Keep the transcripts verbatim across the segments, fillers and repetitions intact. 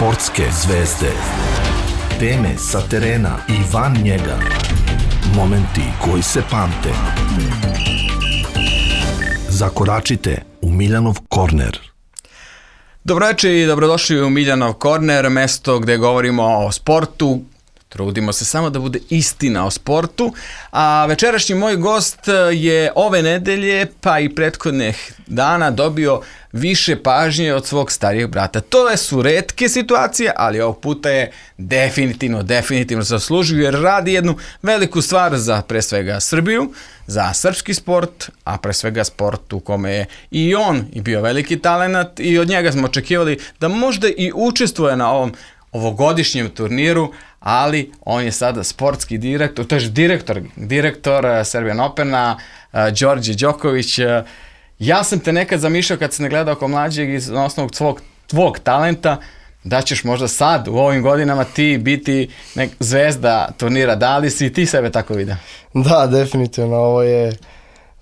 Sportske zvezde. Teme sa terena i van njega. Momenti koji se pamte. Zakoračite u Miljanov korner. Dobroveče i dobrodošli u Miljanov korner, mesto gde govorimo o sportu. Trudimo se samo da bude istina o sportu, a večerašnji moj gost je ove nedelje pa i prethodnih dana dobio više pažnje od svog starijeg brata. To su retke situacije, ali ovog puta je definitivno, definitivno zaslužio jer radi jednu veliku stvar za pre svega Srbiju, za srpski sport, a pre svega sport u kome je i on i bio veliki talenat i od njega smo očekivali da možda i učestvuje na ovom ovogodišnjem turniru, ali on je sada sportski direktor, to je direktor, direktor Serbian Opena, Đorđe Đoković. Ja sam te nekad zamišljao kad sam ne gledao kao mlađeg iz na osnovu svog, tvog talenta, da ćeš možda sad u ovim godinama ti biti nek zvezda turnira. Da li si ti sebe tako vidio? Da, definitivno, ovo je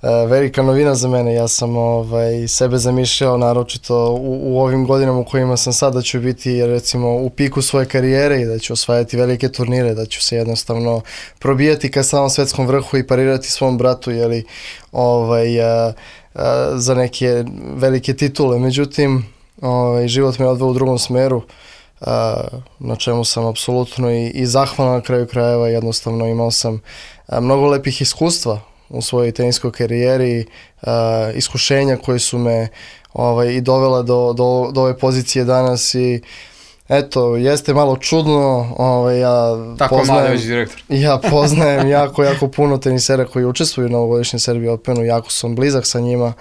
Uh, velika novina za mene. Ja sam ovaj, sebe zamišljao naročito u, u ovim godinama u kojima sam sad da ću biti recimo u piku svoje karijere i da ću osvajati velike turnire, da ću se jednostavno probijati ka samom svetskom vrhu i parirati svom bratu jeli, ovaj, uh, uh, za neke velike titule. Međutim, ovaj, život me odveo u drugom smeru, uh, na čemu sam apsolutno i, i zahvalan na kraju krajeva. Jednostavno imao sam uh, mnogo lepih iskustva u svojoj teniskoj karijeri, uh, iskušenja koje su me ovaj, i dovela do, do, do ove pozicije danas i eto, jeste malo čudno, ovaj, ja tako poznajem, direktor. ja poznajem jako, jako puno tenisera koji učestvuju na ovogodišnjem Serbian Openu, jako sam blizak sa njima,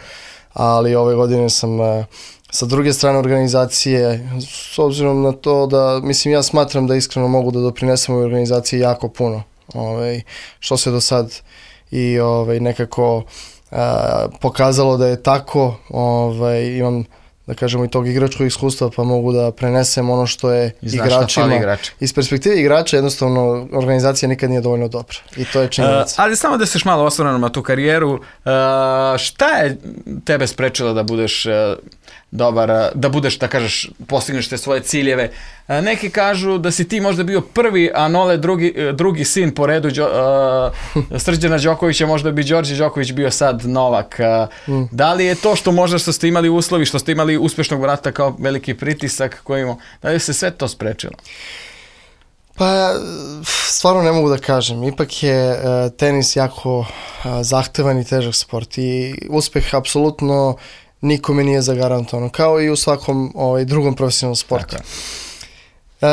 ali ove godine sam uh, sa druge strane organizacije, s obzirom na to da, mislim, ja smatram da iskreno mogu da doprinesem u organizaciji jako puno, ovaj, što se do sad i ovaj, nekako a, pokazalo da je tako. Ovaj, imam, da kažemo, i tog igračkog iskustva, pa mogu da prenesem ono što je igračima. Igrači. Iz perspektive igrača jednostavno organizacija nikad nije dovoljno dobra i to je činjenica. Uh, ali samo da se malo osvrnemo na tu karijeru, uh, šta je tebe sprečilo da budeš uh, dobar, da budeš, da kažeš, postigneš te svoje ciljeve? Uh, neki kažu da si ti možda bio prvi, a Nole drugi, drugi sin po redu uh, Srđana Đokovića, možda bi Đorđe Đoković bio sad Novak. Uh, mm. Da li je to što možda što ste imali uslovi, što ste imali uspešnog brata kao veliki pritisak koji imao, da li se sve to sprečilo? Pa, stvarno ne mogu da kažem. Ipak je uh, tenis jako uh, zahtevan i težak sport i uspeh apsolutno nikome nije zagarantovan, kao i u svakom ovaj, drugom profesionalnom sportu. Uh,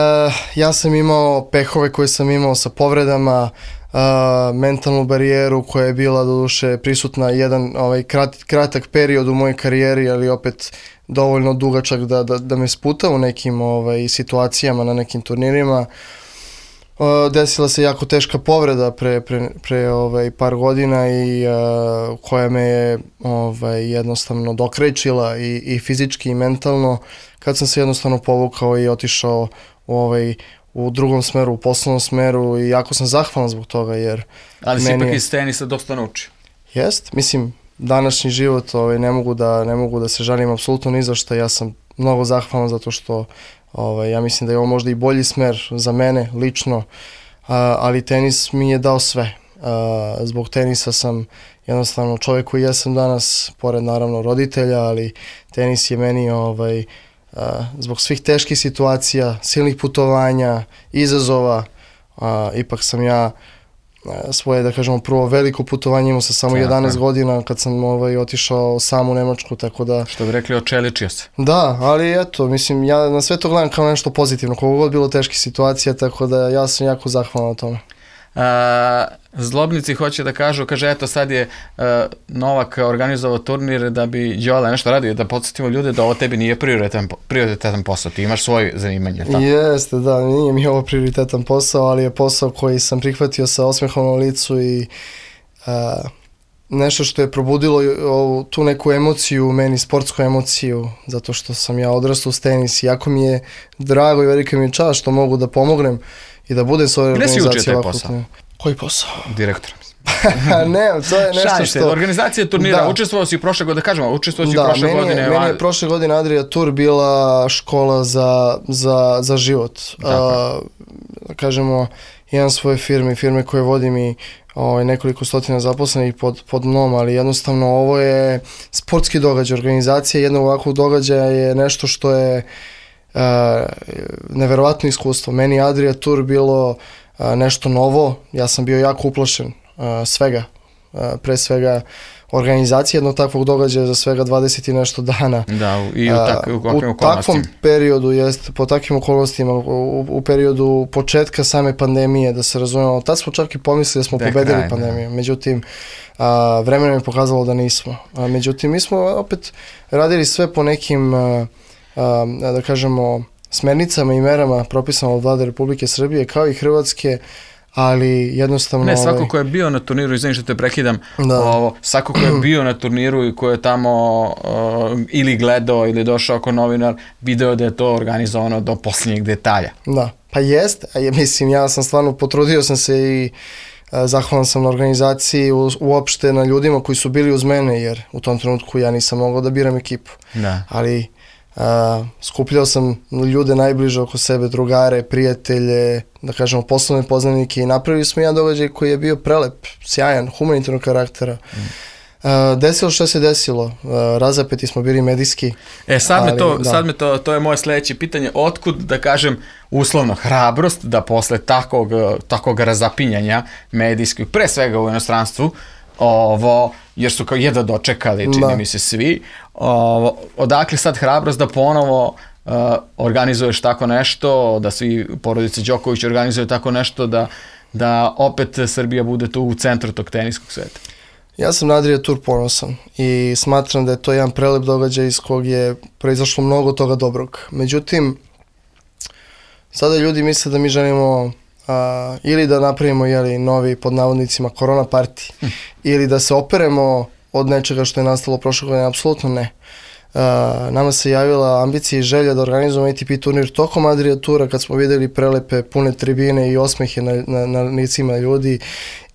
ja sam imao pehove koje sam imao sa povredama, uh, mentalnu barijeru koja je bila doduše prisutna jedan ovaj, krat, kratak period u mojoj karijeri, ali opet dovoljno dugačak da, da, da me sputa u nekim ovaj, situacijama na nekim turnirima. Uh, desila se jako teška povreda pre, pre, pre ovaj, par godina i uh, koja me je ovaj, jednostavno dokrećila i, i fizički i mentalno, kad sam se jednostavno povukao i otišao u, ovaj, u drugom smeru, u poslovnom smeru i jako sam zahvalan zbog toga jer... Ali si ipak iz tenisa dosta naučio. Jest, mislim, današnji život ovaj, ne, mogu da, ne mogu da se žalim apsolutno ni za što. Ja sam mnogo zahvalan zato što Ovaj, ja mislim da je ovo možda i bolji smer za mene lično, a, ali tenis mi je dao sve. A, zbog tenisa sam jednostavno čovjek koji jesam danas, pored naravno roditelja, ali tenis je meni ovaj, a, zbog svih teških situacija, silnih putovanja, izazova, a, ipak sam ja svoje, da kažemo, prvo veliko putovanje imao sa samo jedanaest godina kad sam ovaj, otišao sam u Nemačku, tako da... Što bi rekli, očeličio se. Da, ali eto, mislim, ja na sve to gledam kao nešto pozitivno, koliko god bilo teških situacija, tako da ja sam jako zahvalan na tome. A, zlobnici hoće da kažu, kaže, eto sad je uh, Novak organizovao turnir da bi Đola nešto radio, da podsjetimo ljude da ovo tebi nije prioritetan, prioritetan posao, ti imaš svoje zanimanje, tako? Jeste, da, nije mi ovo prioritetan posao, ali je posao koji sam prihvatio sa osmehom na licu i uh, nešto što je probudilo ovu, tu neku emociju u meni, sportsku emociju, zato što sam ja odrastao uz tenis i jako mi je drago i velika mi je čast što mogu da pomognem i da budem s ovoj organizacijom. Gde si učio taj posao? Koji posao? Direktor. Ne, to je nešto Šalim što... se, organizacija turnira, Da. učestvovao si prošle godine, da kažemo, učestvovao si Da, prošle meni, godine. je, meni je prošle godine Adria Tour bila škola za, za, za život. A, kažemo, imam svoje firme, firme koje vodim i ovaj, nekoliko stotina zaposlenih pod, pod mnom, ali jednostavno ovo je sportski događaj, organizacija jednog ovakvog događaja je nešto što je uh, neverovatno iskustvo. Meni Adria Tour bilo uh, nešto novo, ja sam bio jako uplašen uh, svega, uh, pre svega organizacije jednog takvog događaja za svega dvadeset i nešto dana. Da, i u, tak, u, u takvom periodu, jest, po takvim okolnostima, u, u periodu početka same pandemije, da se razumemo, tad smo čak i pomislili da smo Tek pobedili kraj, pandemiju, međutim, a, vremenom je pokazalo da nismo. A, međutim, mi smo opet radili sve po nekim, a, a, da kažemo, smernicama i merama propisano od Vlade Republike Srbije, kao i Hrvatske, ali jednostavno... Ne, svako ovaj... ko je bio na turniru, izvini što te prekidam, Da. ovo, svako ko je bio na turniru i ko je tamo uh, ili gledao ili došao kao novinar, video da je to organizovano do posljednjeg detalja. Da, pa jest, a je, mislim, ja sam stvarno potrudio sam se i a, zahvalan sam na organizaciji, u, uopšte na ljudima koji su bili uz mene, jer u tom trenutku ja nisam mogao da biram ekipu. Da. Ali a, skupljao sam ljude najbliže oko sebe, drugare, prijatelje, da kažemo poslovne poznanike i napravili smo jedan događaj koji je bio prelep, sjajan, humanitarnog karaktera. Mm. Uh, desilo što se desilo, uh, razapeti smo bili medijski. E sad me ali, to, da. sad me to, to je moje sledeće pitanje, otkud da kažem uslovno hrabrost da posle takvog, takvog razapinjanja medijskih, pre svega u inostranstvu, ovo, jer su kao jedva dočekali, čini Da. mi se svi, ovo, odakle sad hrabrost da ponovo uh, organizuješ tako nešto, da svi porodice Đoković organizuju tako nešto, da, da opet Srbija bude tu u centru tog teniskog sveta? Ja sam na Adria Tour ponosan i smatram da je to jedan prelep događaj iz kog je proizašlo mnogo toga dobrog. Međutim, sada ljudi misle da mi želimo a, ili da napravimo jeli, novi, pod navodnicima, korona party, hm. ili da se operemo od nečega što je nastalo prošle godine. Apsolutno ne. A, nama se javila ambicija i želja da organizujemo A T P turnir tokom Adria Toura kad smo vidjeli prelepe, pune tribine i osmehe na, na, na licima ljudi.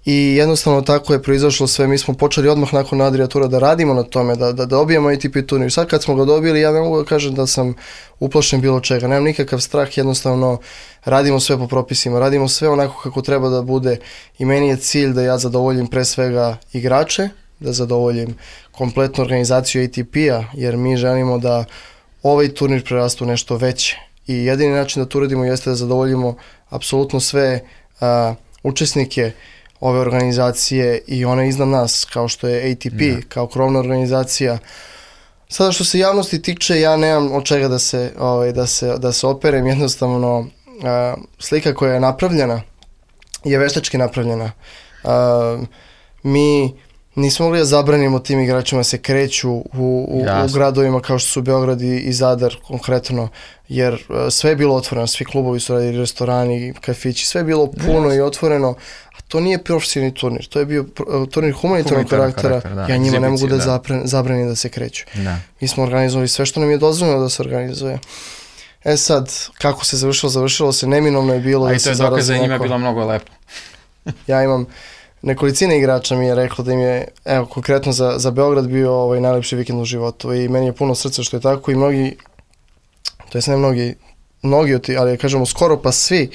I jednostavno tako je proizašlo sve, mi smo počeli odmah nakon Adria Toura da radimo na tome, da, da dobijemo A T P turnir. Sad kad smo ga dobili, ja ne mogu da kažem da sam uplašen bilo čega, nemam nikakav strah, jednostavno radimo sve po propisima, radimo sve onako kako treba da bude i meni je cilj da ja zadovoljim pre svega igrače, da zadovoljim kompletnu organizaciju A T P-a, jer mi želimo da ovaj turnir prerastu nešto veće i jedini način da to uradimo jeste da zadovoljimo apsolutno sve a, učesnike ove organizacije i one iznad nas, kao što je A T P, yeah. kao krovna organizacija. Sada što se javnosti tiče, ja nemam od čega da se, ovaj, da se, da se operem, jednostavno uh, slika koja je napravljena je veštački napravljena. Uh, mi nismo mogli da zabranimo tim igračima se kreću u, u, u gradovima kao što su Beograd i, i Zadar konkretno, jer uh, sve je bilo otvoreno, svi klubovi su radili, restorani, kafići, sve je bilo puno yes. i otvoreno. To nije profesionalni turnir, to je bio turnir humanitarnog karaktera, karakter, da. Ja njima ne mogu da, da. Zapre, zabranim da se kreću. Da. Mi smo organizovali sve što nam je dozvoljeno da se organizuje. E sad, kako se završilo, završilo se, neminovno je bilo a da se zarazi neko. A i to je dokaz da njima bilo mnogo lepo. Ja imam, nekolicina igrača mi je rekla da im je, evo, konkretno za, za Beograd bio ovaj najlepši vikend u životu i meni je puno srca što je tako i mnogi, to jest ne mnogi, mnogi od ti, ali kažemo skoro pa svi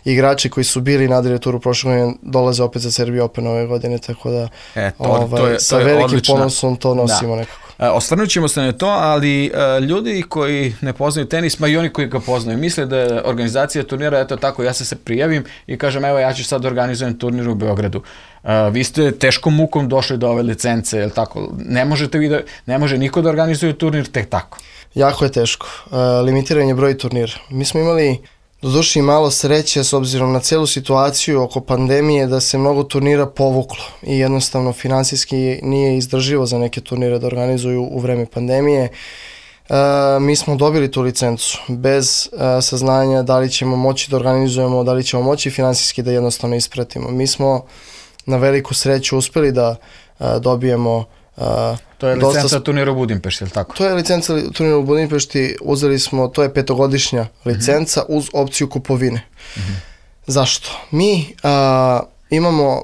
igrači koji su bili na Adria Touru prošle godine dolaze opet za Serbia Open ove godine, tako da e, to, ovaj, to je, to sa je velikim odlična. ponosom to nosimo da. nekako. E, osvrnut ćemo se na to, ali e, ljudi koji ne poznaju tenis, ma i oni koji ga poznaju, misle da je organizacija turnira, eto tako, ja se se prijavim i kažem, evo ja ću sad organizujem turnir u Beogradu. E, vi ste teškom mukom došli do ove licence, jel tako? Ne možete vi da, ne može niko da organizuje turnir tek tako. Jako je teško. E, limitiran je broj turnira. Mi smo imali doduše i malo sreće s obzirom na celu situaciju oko pandemije da se mnogo turnira povuklo i jednostavno finansijski nije izdrživo za neke turnire da organizuju u vreme pandemije. E, mi smo dobili tu licencu bez e, saznanja da li ćemo moći da organizujemo, da li ćemo moći finansijski da jednostavno ispratimo. Mi smo na veliku sreću uspeli da e, dobijemo Uh, to je licenca dosta... turnira u Budimpešti, je li tako? To je licenca turnira u Budimpešti, uzeli smo, to je petogodišnja licenca uh-huh. uz opciju kupovine. Uh-huh. Zašto? Mi uh, imamo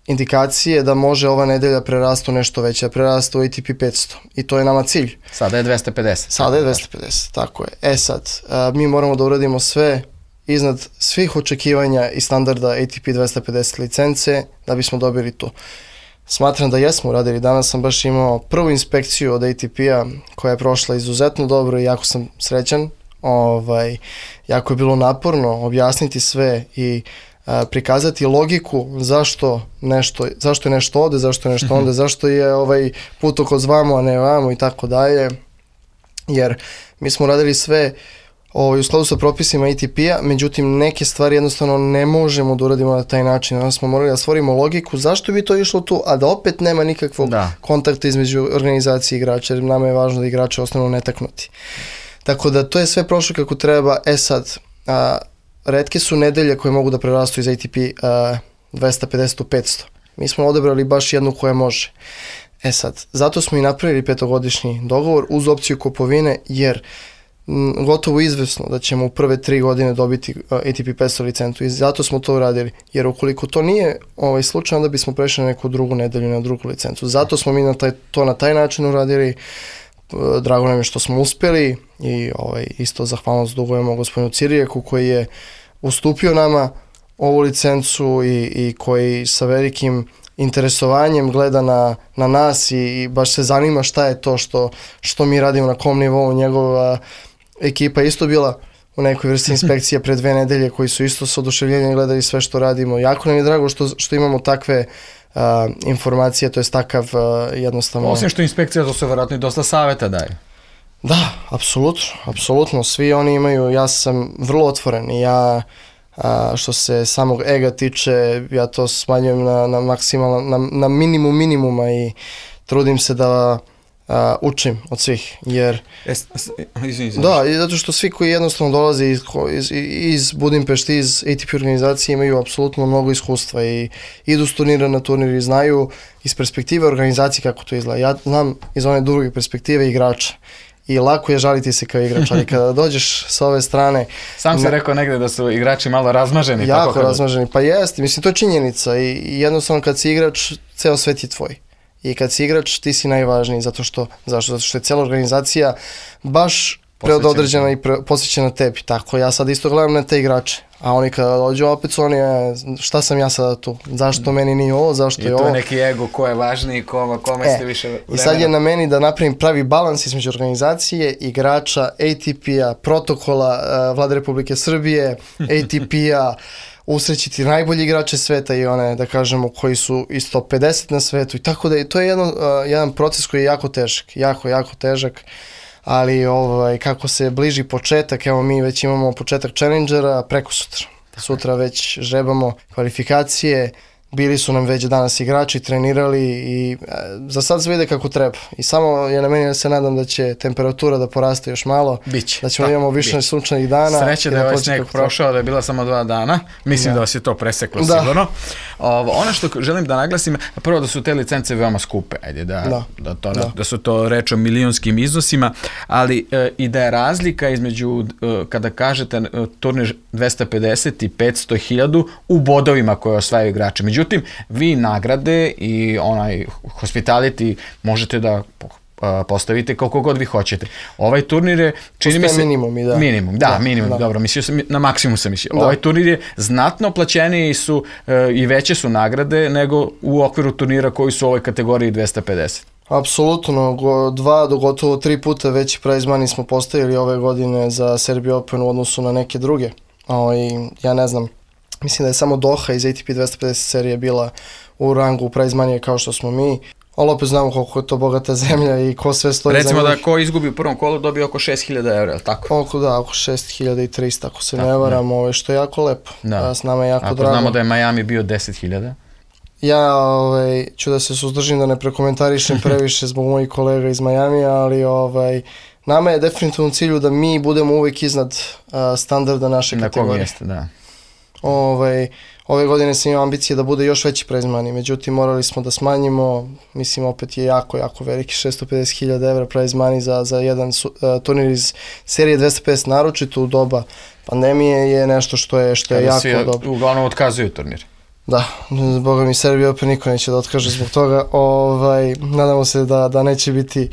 indikacije da može ova nedelja prerastu nešto veće, prerastu u A T P petsto i to je nama cilj. Sada je dvesta pedeset. Sada je dvesta pedeset, tako je. E sad, a, mi moramo da uradimo sve iznad svih očekivanja i standarda A T P dvesta pedeset licence da bismo dobili to. Smatram da jesmo uradili. Danas sam baš imao prvu inspekciju od A T P-a koja je prošla izuzetno dobro i jako sam srećan. Ovaj, jako je bilo naporno objasniti sve i a, prikazati logiku zašto nešto, zašto je nešto ovde, zašto je nešto onda, zašto je ovaj putokaz vamo, a ne vamo i tako dalje. Jer mi smo radili sve ovaj, u skladu sa propisima A T P-a, međutim neke stvari jednostavno ne možemo da uradimo na taj način. Onda smo morali da stvorimo logiku zašto bi to išlo tu, a da opet nema nikakvog da. kontakta između organizacije i igrača, jer nama je važno da igrači ostanu netaknuti. Tako da to je sve prošlo kako treba. E sad, a, retke su nedelje koje mogu da prerastu iz A T P a, dvesta pedeset u petsto. Mi smo odabrali baš jednu koja može. E sad, zato smo i napravili petogodišnji dogovor uz opciju kupovine, jer m, gotovo izvesno da ćemo u prve tri godine dobiti a, A T P petsto licencu i zato smo to uradili. Jer ukoliko to nije ovaj slučaj, onda bismo prešli na neku drugu nedelju, na drugu licencu. Zato smo mi na taj, to na taj način uradili. Drago nam je što smo uspjeli i ovaj, isto zahvalnost dugujemo gospodinu Cirijeku koji je ustupio nama ovu licencu i, i koji sa velikim interesovanjem gleda na, na nas i, i baš se zanima šta je to što, što mi radimo, na kom nivou. Njegova ekipa je isto bila u nekoj vrsti inspekcije pre dve nedelje koji su isto s oduševljenjem gledali sve što radimo. Jako nam je drago što, što imamo takve Uh, informacije, to je takav uh, jednostavno... Osim što inspekcija, to se vjerojatno i dosta savjeta daje. Da, apsolutno, apsolutno, svi oni imaju, ja sam vrlo otvoren i ja, uh, što se samog ega tiče, ja to smanjujem na, na maksimalno, na, na minimum minimuma i trudim se da uh, učim od svih, jer... Es, es, izvin, izvin. Da, i zato što svi koji jednostavno dolaze iz, iz, iz Budimpešte, iz A T P organizacije imaju apsolutno mnogo iskustva i idu s turnira na turnir i znaju iz perspektive organizacije kako to izgleda. Ja znam iz one druge perspektive igrača i lako je žaliti se kao igrač, ali kada dođeš sa ove strane... Sam si rekao negde da su igrači malo razmaženi. Jako tako kada... razmaženi, pa jeste, mislim to je činjenica i, i jednostavno kad si igrač, ceo svet je tvoj. I kad si igrač, ti si najvažniji, zato što, zašto? Zato što je cijela organizacija baš preodređena i pre, posvećena tebi. Tako, ja sad isto gledam na te igrače, a oni kada dođu opet su oni, šta sam ja sada tu, zašto meni nije ovo, zašto I je ovo. I to je neki ego, ko je važniji, kome, kome e, ste više vremena. I sad je na meni da napravim pravi balans između organizacije, igrača, A T P-a, protokola uh, Vlade Republike Srbije, A T P-a, usrećiti najbolji igrače sveta i one, da kažemo, koji su isto pedeset na svetu i tako da je, to je jedan, uh, jedan proces koji je jako težak, jako, jako težak, ali ovaj, kako se bliži početak, evo mi već imamo početak Challengera preko sutra. Sutra već žrebamo kvalifikacije, bili su nam već danas igrači, trenirali i e, za sad se vide kako treba. I samo je na meni da se nadam da će temperatura da poraste još malo, Biće. da ćemo da imamo više biće. sunčanih dana. Sreće da je ovaj sneg prošao, da je bila samo dva dana. Mislim da, da vas je to preseklo da. sigurno. Ovo, ono što želim da naglasim, prvo da su te licence veoma skupe, ajde, da, da. Da, to, da. da su to reč o milionskim iznosima, ali e, i da je razlika između, e, kada kažete e, turnir dvesta pedeset i petsto hiljadu u bodovima koje osvajaju igrače. Međutim, Međutim, vi nagrade i onaj hospitality možete da postavite koliko god vi hoćete. Ovaj turnir je, čini mi se... minimum, da. Minimum, da, da minimum, da. Dobro, mislio sam, na maksimum sam mislio. Da. Ovaj turnir je znatno plaćeniji su e, i veće su nagrade nego u okviru turnira koji su u ovoj kategoriji dvesta pedeset. Apsolutno, go, dva do gotovo tri puta veći prize money smo postavili ove godine za Serbia Open u odnosu na neke druge. O, i ja ne znam, mislim da je samo Doha iz A T P dvesta pedeset serije bila u rangu prize money kao što smo mi, ali opet znamo koliko je to bogata zemlja i ko sve stoji Recimo za njih. Recimo da ko izgubi u prvom kolu dobije oko šest hiljada evra, tako? Oko da, oko šest hiljada trista ako se tako, ne varam, ovo, što je jako lepo. Da. S nama je jako ako drago. Znamo da je Miami bio deset hiljada. Ja ovaj, ću da se suzdržim da ne prekomentarišem previše zbog mojih kolega iz Majamija, ali ovaj, nama je definitivno u cilju da mi budemo uvijek iznad uh, standarda naše na kategorije. Na mjeste, da. Ovaj, ove godine sam imao ambicije da bude još veći prize money, međutim morali smo da smanjimo, mislim opet je jako, jako veliki, šesto pedeset hiljada evra prize money za, za jedan su, uh, turnir iz serije dvesta pedeset, naročito u doba pandemije je nešto što je, što je jako svi dobro. Uglavnom otkazuju turnir. Da, boga mi Serbia opet niko neće da otkaže zbog toga. Ovaj, nadamo se da, da neće biti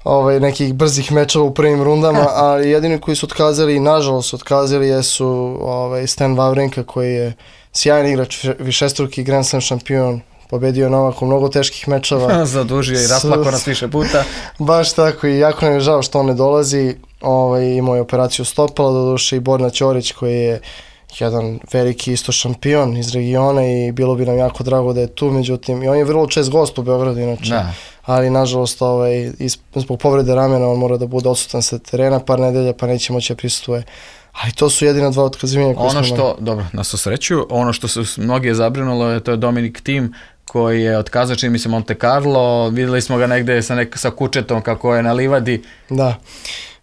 ovaj, nekih brzih mečeva u prvim rundama, ali jedini koji su otkazali i nažalost su otkazali jesu ovaj, Stan Wawrinka koji je sjajan igrač, višestruki Grand Slam šampion, pobedio Novak u mnogo teških mečeva. Zadužio i rasplako nas više puta. Baš tako i jako nam je žao što on ne dolazi. Ovaj, imao je operaciju stopala, doduše i Borna Ćorić koji je jedan veliki isto šampion iz regiona i bilo bi nam jako drago da je tu, međutim i on je vrlo čest gost u Beogradu inače, da. Ali nažalost ovaj, zbog povrede ramena on mora da bude odsutan sa terena par nedelja pa neće moći da prisustuje. Ali to su jedina dva otkazivanja koje ono smo... Ono što, dobro, na svu sreću, ono što se mnogi je zabrinulo je to je Dominik Thiem koji je otkazao, čini mi se Monte Carlo, videli smo ga negde sa, nek, sa kučetom kako je na livadi. Da,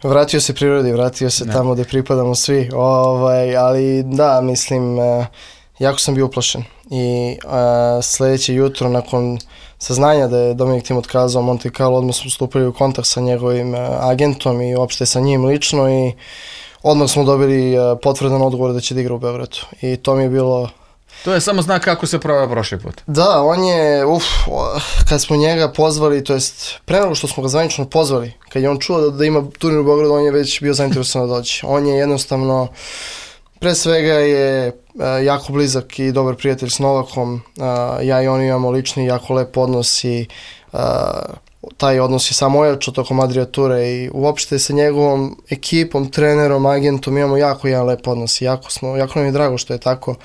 vratio se prirodi, vratio se ne. tamo gde pripadamo svi, ovaj, ali da, mislim, uh, jako sam bio uplašen i uh, sledeće jutro nakon saznanja da je Dominik Thiem otkazao Monte Carlo, odmah smo stupili u kontakt sa njegovim uh, agentom i uopšte sa njim lično i odmah smo dobili uh, potvrdan odgovor da će da igra u Beogradu i to mi je bilo... To je samo znak kako se proveo prošli put. Da, on je, uf, kad smo njega pozvali, to jest pre nego što smo ga zvanično pozvali, kad je on čuo da, da ima turnir u Beogradu, on je već bio zainteresovan da dođe. On je jednostavno, pre svega je uh, jako blizak i dobar prijatelj s Novakom, uh, ja i on imamo lični jako lep odnos i uh, taj odnos je samo ojačao tokom Adria ture i uopšte sa njegovom ekipom, trenerom, agentom imamo jako jedan lep odnos i jako, smo, jako nam je drago što je tako.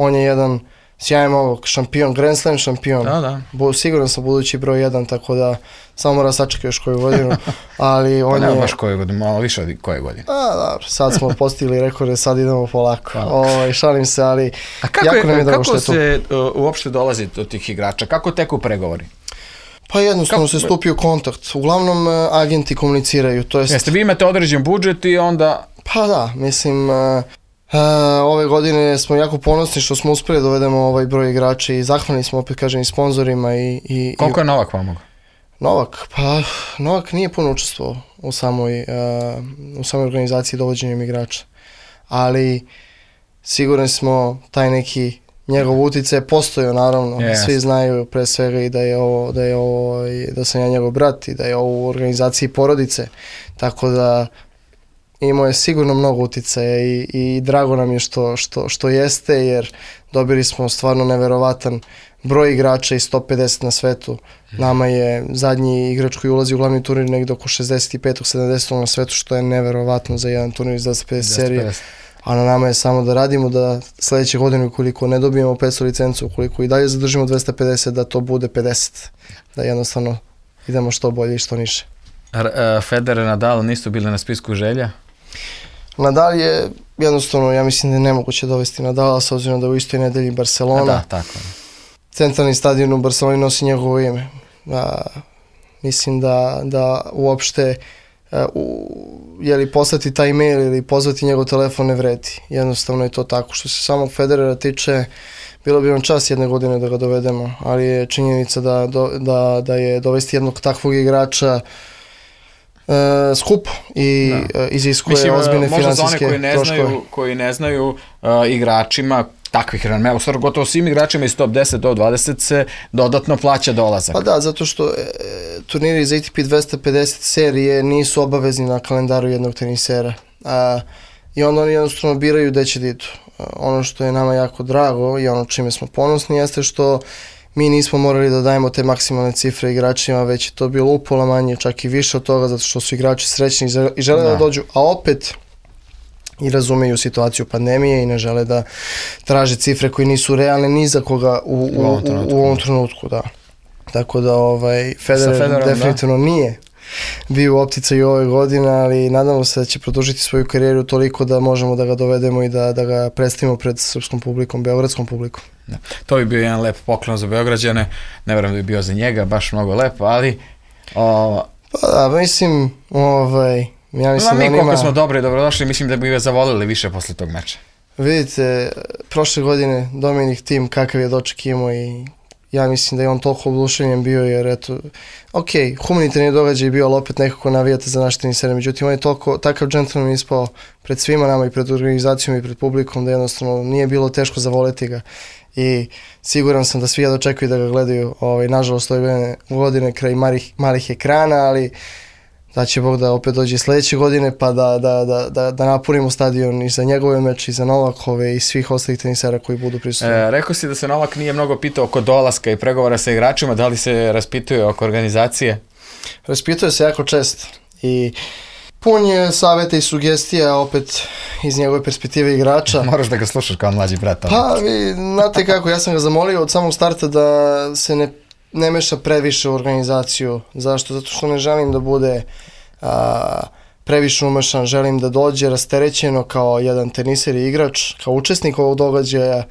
On je jedan sjajan ovog šampion, Grand Slam šampion, da, da. Bu, siguran sam budući broj jedan, tako da samo mora sačekati još koju godinu, ali on pa je... Ne, baš koju godinu, malo više od koje godine. A, dobro, sad smo postigli rekorde, sad idemo polako, o, šalim se, ali a kako jako je, nam je drago što je tu. tu. Kako se uh, uopšte dolazi do tih igrača, kako teku pregovori? Pa jednostavno kako... se stupi u kontakt, uglavnom uh, agenti komuniciraju, to jest... Jeste, vi imate određen budžet i onda... Pa da, mislim... Uh, Uh, ove godine smo jako ponosni što smo uspeli da dovedemo ovaj broj igrača i zahvalni smo opet kažem i sponzorima i, i koliko je Novak pomogao? Novak, pa Novak nije puno učestvovao u samoj, uh, u samoj organizaciji dovođenjem igrača, ali sigurni smo taj neki njegov uticaj postojao naravno, yes. Svi znaju pre svega i da je ovo, da je ovo, da sam ja njegov brat i da je ovo u organizaciji porodice, tako da imao je sigurno mnogo uticaja i, i drago nam je što, što, što jeste, jer dobili smo stvarno neverovatan broj igrača i sto pedeset na svetu. Nama je zadnji igrač koji ulazi u glavni turnir negdje oko šezdeset pet sedamdeset na svetu, što je neverovatno za jedan turnir iz dvesta pedeset serije. A na nama je samo da radimo, da sledeće godine ukoliko ne dobijemo petsto licencu, ukoliko i dalje zadržimo dvesta pedeset, da to bude pedeset. Da jednostavno idemo što bolje i što niže. Federer, Nadal nisu bili na spisku želja? Nadal je jednostavno, ja mislim da je nemoguće dovesti Nadala s obzirom da je u istoj nedelji Barcelona. Da, tako. Centralni stadion u Barceloni nosi njegovo ime. A, mislim da, da uopšte a, u, je li poslati taj mail ili pozvati njegov telefon ne vredi. Jednostavno je to tako. Što se samog Federera tiče, bilo bi nam čast jedne godine da ga dovedemo, ali je činjenica da, do, da, da je dovesti jednog takvog igrača Uh, skup i uh, iziskuje ozbiljne finansijske troškove. Možda za one koji ne znaju, koji ne znaju uh, igračima takvih ranmea, u stvari gotovo svim igračima iz top deset do dvadeset se dodatno plaća dolazak. Pa da, zato što e, turniri za A T P dvesta pedeset serije nisu obavezni na kalendaru jednog tenisera. A, I onda oni jednostavno biraju gde će da idu. A, ono što je nama jako drago i ono čime smo ponosni jeste što mi nismo morali da dajemo te maksimalne cifre igračima, već je to bilo upola manje, čak i više od toga, zato što su igrači srećni i žele da, da dođu, a opet i razumeju situaciju pandemije i ne žele da traže cifre koje nisu realne ni za koga u, u, u, ovom, trenutku. u ovom trenutku. Da. Tako da ovaj, Federer Federer definitivno da. nije bio u opticaju ove godine, ali nadamo se da će produžiti svoju karijeru toliko da možemo da ga dovedemo i da, da ga predstavimo pred srpskom publikom, beogradskom publikom. Da. To bi bio jedan lep poklon za Beograđane, ne verujem da bi bio za njega, baš mnogo lepo, ali... O... Pa da, mislim, ovaj, ja mislim no, mi da on koliko ima... smo dobri i dobrodošli, mislim da bi ga zavolili više posle tog meča. Vidite, prošle godine Dominik Thiem kakav je doček imao i ja mislim da je on toliko oduševljen bio, jer eto, ok, humanitarni događaj je bio, ali opet nekako navijate za naš tenisere, međutim on je toliko, takav džentlmen ispao pred svima nama i pred organizacijom i pred publikom da jednostavno nije bilo teško zavoleti ga. i siguran sam da svi jedno čekaju da ga gledaju, ovaj, nažalost ove godine, godine kraj malih, malih ekrana, ali da će Bog da opet dođe sledeće godine pa da, da, da, da, da napunimo stadion i za njegove meče i za Novakove i svih ostalih tenisera koji budu prisutni. E, rekao si da se Novak nije mnogo pitao oko dolaska i pregovora sa igračima, da li se raspituje oko organizacije? Raspituje se jako često i pun je savjeta i sugestija opet iz njegove perspektive igrača. Moraš da ga slušaš kao mlađi brat. Pa vi znate kako, ja sam ga zamolio od samog starta da se ne, ne meša previše u organizaciju. Zašto? Zato što ne želim da bude a, previše umešan, želim da dođe rasterećeno kao jedan teniser i igrač, kao učesnik ovog događaja,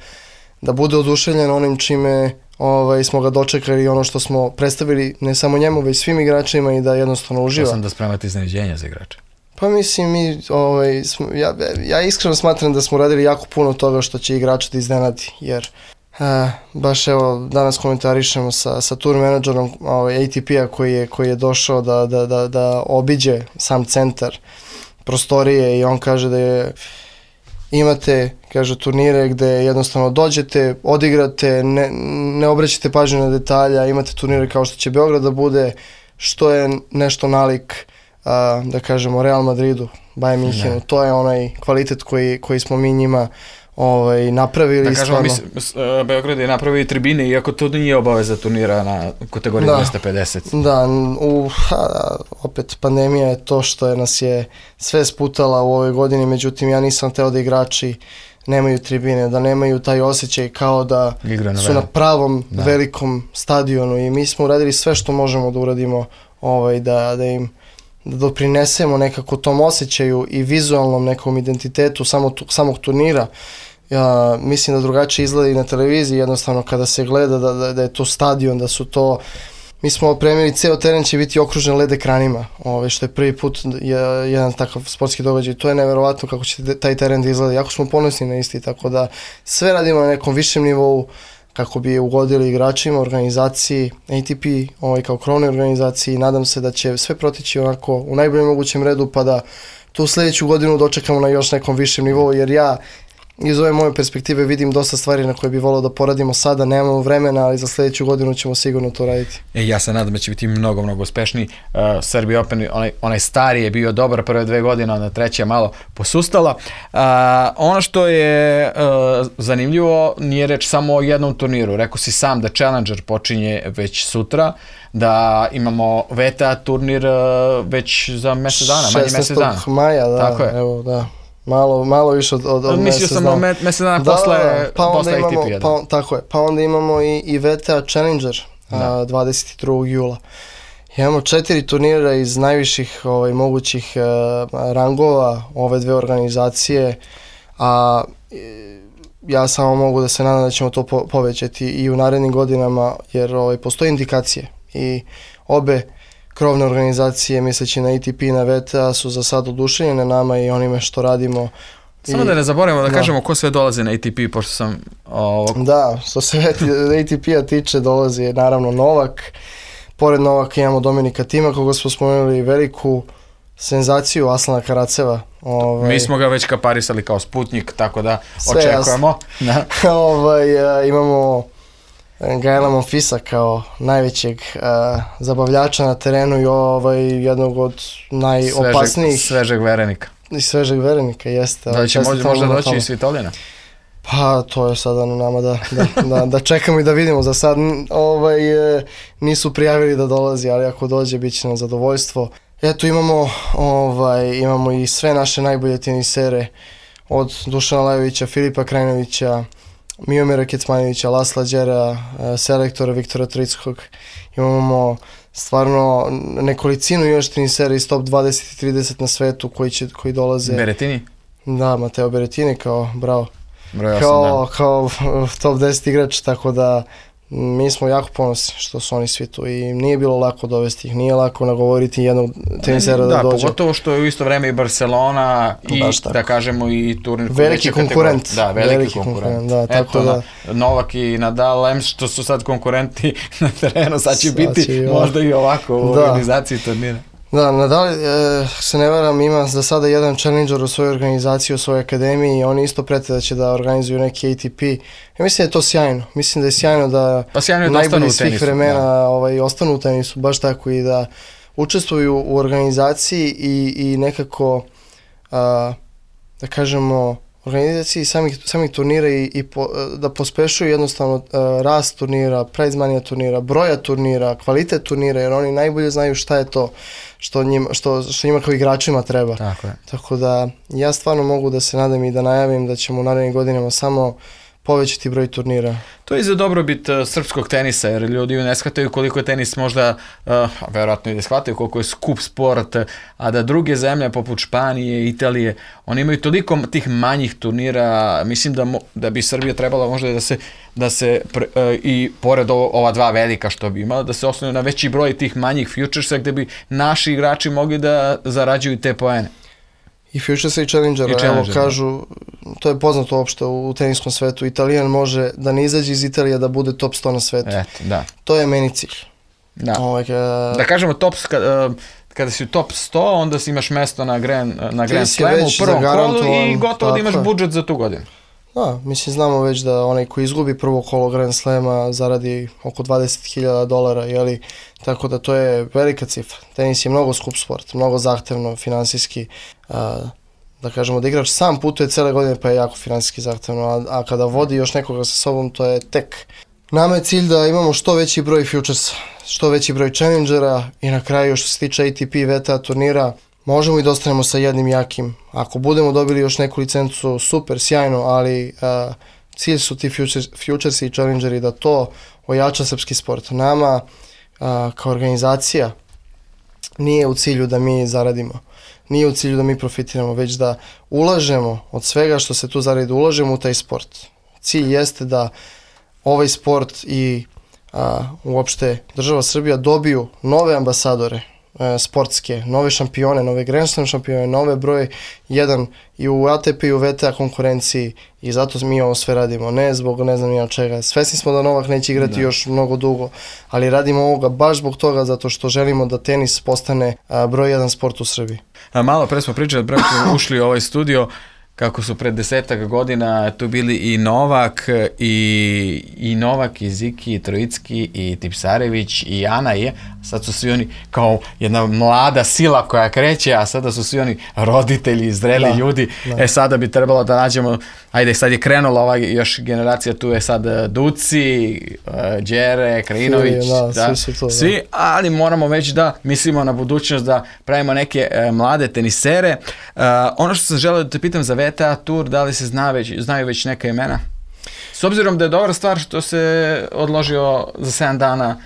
da bude oduševljen onim čime ovaj, smo ga dočekali i ono što smo predstavili ne samo njemu, već svim igračima i da jednostavno uživa. Ja sam da spremate iznenađenja za igrače. Pa mislim, mi, ovaj, smo, ja, ja iskreno smatram da smo radili jako puno toga što će igrača da iznenadi, jer a, baš evo danas komentarišemo sa, sa tour menadžerom ovaj, A T P-a koji je, koji je došao da, da, da, da obiđe sam centar prostorije i on kaže da je imate, kaže, turnire gde jednostavno dođete, odigrate, ne, ne obraćate pažnju na detalja, imate turnire kao što će Beograd da bude, što je nešto nalik, a, da kažemo, Real Madridu, Bayern Minhenu. Ne. To je onaj kvalitet koji, koji smo mi njima ovaj, napravili. Da kažemo, mi, Beograd je napravio i tribine, iako to nije obaveza turnira na kategoriji da, dvesta pedeset. Da, u, ha, opet pandemija je to što je nas je sve sputala u ovoj godini, međutim ja nisam teo da igrači nemaju tribine, da nemaju taj osjećaj kao da na su na pravom da. velikom stadionu i mi smo uradili sve što možemo da uradimo ovaj, da, da im da doprinesemo nekako tom osjećaju i vizualnom nekom identitetu samog, samog turnira. Ja mislim da drugačije izgleda i na televiziji, jednostavno kada se gleda da, da, da je to stadion, da su to... Mi smo opremili, ceo teren će biti okružen L E D ekranima, ove, što je prvi put je, jedan takav sportski događaj. To je neverovatno kako će taj teren da izgleda. Jako smo ponosni na isti, tako da sve radimo na nekom višem nivou kako bi ugodili igračima, organizaciji, A T P ovaj, kao krovnoj organizaciji. Nadam se da će sve protići onako u najboljem mogućem redu pa da tu sljedeću godinu dočekamo na još nekom višem nivou, jer ja iz ove moje perspektive vidim dosta stvari na koje bi volao da poradimo sada, nemamo vremena, ali za sljedeću godinu ćemo sigurno to raditi. E, ja se nadam da će biti mnogo, mnogo uspešniji. Uh, Serbia Open, onaj, onaj stari je bio dobar prve dve godine, onda treća je malo posustala. Uh, ono što je uh, zanimljivo, nije reč samo o jednom turniru. Rekao si sam da Challenger počinje već sutra, da imamo V T A turnir uh, već za mjesec dana, manje mjesec dana. šesnaestog maja, da, tako je. Evo, da. Malo, malo više od, od, od Mislio sam o mjesec dana da, posle, pa posle imamo, A T P-a. Da. Pa, tako je, pa onda imamo i, i V T A Challenger a, dvadeset drugog jula. Imamo četiri turnira iz najviših ovaj, mogućih a, rangova ove dve organizacije, a ja samo mogu da se nadam da ćemo to po, povećati i u narednim godinama, jer ovaj, postoje indikacije i obe krovne organizacije, misleći na A T P i na V T A, su za sad oduševljene nama i onime što radimo. Samo I, da ne zaboravimo da, da kažemo ko sve dolazi na A T P, pošto sam... Ovog... Da, što se A T P-a tiče, dolazi naravno Novak. Pored Novaka imamo Dominika Tima, koga smo spomenuli, veliku senzaciju Aslana Karaceva. Ovaj... Mi smo ga već kaparisali kao Sputnik, tako da sve očekujemo. Da. ovaj, a, imamo Gaela Monfilsa kao najvećeg uh, zabavljača na terenu i ovaj, jednog od najopasnijih. Svežeg, svežeg verenika. I svežeg verenika, jeste. Da će možda, možda doći i Svitolina? Pa to je sada na nama da, da, da, da čekamo i da vidimo. Za sad ovaj, nisu prijavili da dolazi, ali ako dođe bit će nam zadovoljstvo. Eto imamo, ovaj, imamo i sve naše najbolje tenisere od Dušana Lajovića, Filipa Krajinovića, Miomira Kecmanovića, Lasla Đera, selektora Viktora Trickog. Imamo stvarno nekolicinu još tenisera iz top dvadeset i trideset na svetu koji, će, koji dolaze. Berettini? Da, Mateo Berettini kao, bravo. Bravo, kao, kao top deset igrač, tako da mi smo jako ponosni što su oni svi tu i nije bilo lako dovesti ih, nije lako nagovoriti jednog tenisera da, da dođe. Da, pogotovo što je u isto vreme i Barcelona i da kažemo i turnir veliki konkurent. Da, veliki, veliki konkurent. konkurent. Da, tako Eto, da Novak i Nadal, em što su sad konkurenti na terenu, sad će sad biti će možda i ovako u da. organizaciji turnira. Da, Nadal, e, se ne varam, ima za sada jedan challenger u svojoj organizaciji, u svojoj akademiji i oni isto prete da će da organizuju neki A T P. Ja mislim da je to sjajno. Mislim da je sjajno da pa sjajno je najbolji da svih vremena da. ovaj, ostanu u tenisu, baš tako i da učestvuju u organizaciji i, i nekako, a, da kažemo, organizaciji samih, samih turnira i, i po, da pospešuju jednostavno uh, rast turnira, prize money turnira, broja turnira, kvalitet turnira, jer oni najbolje znaju šta je to što njima, što, što njima kao igračima treba. Tako je. Tako da ja stvarno mogu da se nadam i da najavim da ćemo u narednim godinama samo povećati broj turnira. To je za dobrobit uh, srpskog tenisa, jer ljudi ne shvataju koliko je tenis možda, uh, verovatno i da shvataju koliko je skup sport, a da druge zemlje poput Španije, Italije, oni imaju toliko tih manjih turnira, mislim da, mo, da bi Srbija trebala možda da se, da se pre, uh, i pored ovo, ova dva velika što bi imala, da se osnovu na veći broj tih manjih futuresa gde bi naši igrači mogli da zarađuju te poene. I Futuresa i Challengera, I evo kažu, to je poznato uopšte u teniskom svetu, Italijan može da ne izađe iz Italije da bude top sto na svetu. Eto, da. To je meni cilj. Da, Ovaj, uh, da kažemo top, kada, kada si u top sto, onda si imaš mesto na Grand, na Grand Slamu u prvom kolu i gotovo da imaš budžet za tu godinu. Da, mislim znamo već da onaj koji izgubi prvo kolo Grand Slama zaradi oko dvadeset hiljada dolara, jeli, tako da to je velika cifra. Tenis je mnogo skup sport, mnogo zahtevno, finansijski, a, da kažemo da igrač sam putuje cele godine pa je jako finansijski zahtevno, a, a kada vodi još nekoga sa sobom to je tek. Nama je cilj da imamo što veći broj futuresa, što veći broj challengera i na kraju što se tiče A T P V T A turnira, možemo i da ostanemo sa jednim jakim. Ako budemo dobili još neku licencu, super, sjajno, ali uh, cilj su ti futures, futuresi i challengeri da to ojača srpski sport. Nama uh, kao organizacija nije u cilju da mi zaradimo, nije u cilju da mi profitiramo, već da ulažemo od svega što se tu zaradi, ulažemo u taj sport. Cilj jeste da ovaj sport i uh, uopšte država Srbija dobiju nove ambasadore, sportske, nove šampione, nove Grand Slam šampione, nove broj jedan i u A T P i u V T A konkurenciji i zato mi ovo sve radimo, ne zbog ne znam ja čega. Svesni smo da Novak neće igrati da. još mnogo dugo, ali radimo ovoga baš zbog toga zato što želimo da tenis postane a, broj jedan sport u Srbiji. A malo pre smo pričali, pre smo ušli u ovaj studio, kako su pred desetak godina tu bili i Novak, i, i Novak, i Ziki, i Trojicki, i Tipsarević, i Ana je. Sad su svi oni kao jedna mlada sila koja kreće, a sada su svi oni roditelji, zreli da, ljudi. Da. E sada bi trebalo da nađemo, ajde sad je krenula ova još generacija, tu je sad Duci, Đere, Krajinović, da, da, svi, su to, svi da. ali moramo već da mislimo na budućnost, da pravimo neke e, mlade tenisere. E, ono što sam želeo da te pitam za V T A Tour, da li se zna već, znaju već neka imena? S obzirom da je dobra stvar što se odložio za sedam dana.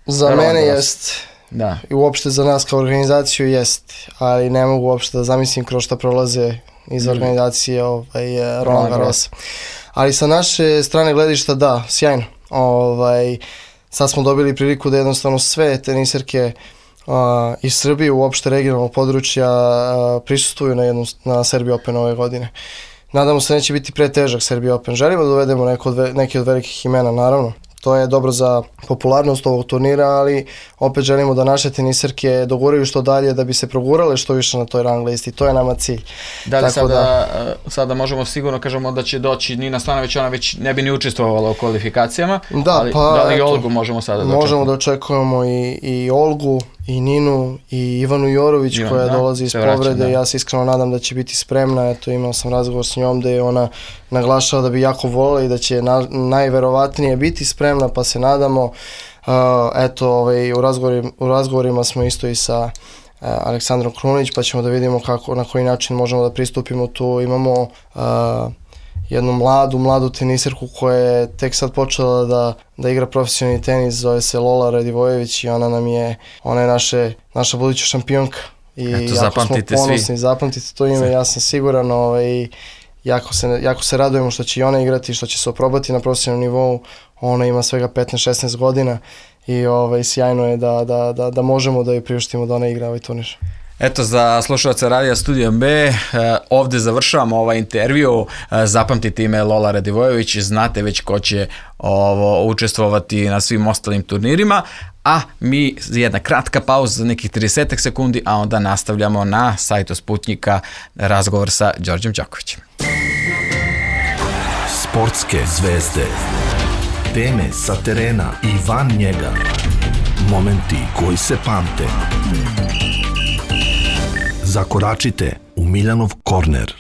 Za mene jest. Da. I uopšte za nas kao organizaciju jest, ali ne mogu uopšte da zamislim kroz šta prolaze iz mm. organizacije ovaj, Roland Garrosa. Ali sa naše strane gledišta da, sjajno. Ovaj, sad smo dobili priliku da jednostavno sve teniserke uh, iz Srbije, uopšte regionalnog područja, uh, prisustvuju na, jednu, na Serbia Open ove godine. Nadamo se neće biti pretežak Serbia Open. Želimo da dovedemo neko od, neke od velikih imena, naravno. To je dobro za popularnost ovog turnira, ali opet želimo da naše teniserke doguraju što dalje da bi se progurale što više na toj rang listi. To je nama cilj. Da li sada, da, sada možemo sigurno kažemo da će doći Nina Stanović, ona već ne bi ni učestvovala u kvalifikacijama, da, ali pa, da li eto, Olgu možemo sada da možemo očekujemo? da očekujemo i, i Olgu, i Ninu, i Ivanu Jorović Ivan, koja da, dolazi iz povrede. Vraća, da. Ja se iskreno nadam da će biti spremna. Eto, imao sam razgovor s njom da je ona naglašava da bi jako voljela i da će na, najverovatnije biti spremna, pa se nadamo. Uh, eto, ovaj, u, razgovorima, u razgovorima smo isto i sa uh, Aleksandrom Krunić, pa ćemo da vidimo kako, na koji način možemo da pristupimo tu. Imamo uh, jednu mladu, mladu teniserku koja je tek sad počela da, da igra profesionalni tenis, zove se Lola Radivojević i ona nam je, ona je naše, naša buduća šampionka. I eto, jako smo ponosni, svi. Zapamtite to ime, ja sam siguran, ovaj, jako, se, jako se radujemo što će i ona igrati, što će se oprobati na profesionalnom nivou. Ona ima svega petnaest šesnaest godina i ovaj, sjajno je da, da, da, da možemo da joj priuštimo da ona igra ovaj turnir. Eto, za slušalce Radija Studio B, eh, ovde završavamo ovaj intervju. Eh, zapamtite ime Lola Radivojević, znate već ko će ovo učestvovati na svim ostalim turnirima, a mi jedna kratka pauza za nekih trideset sekundi, a onda nastavljamo na sajtu Sputnjika razgovor sa Đorđem Đakovićem. Sportske zvezde, teme sa terena i van njega, momenti koji se pamte. Zakoračite u Miljanov korner.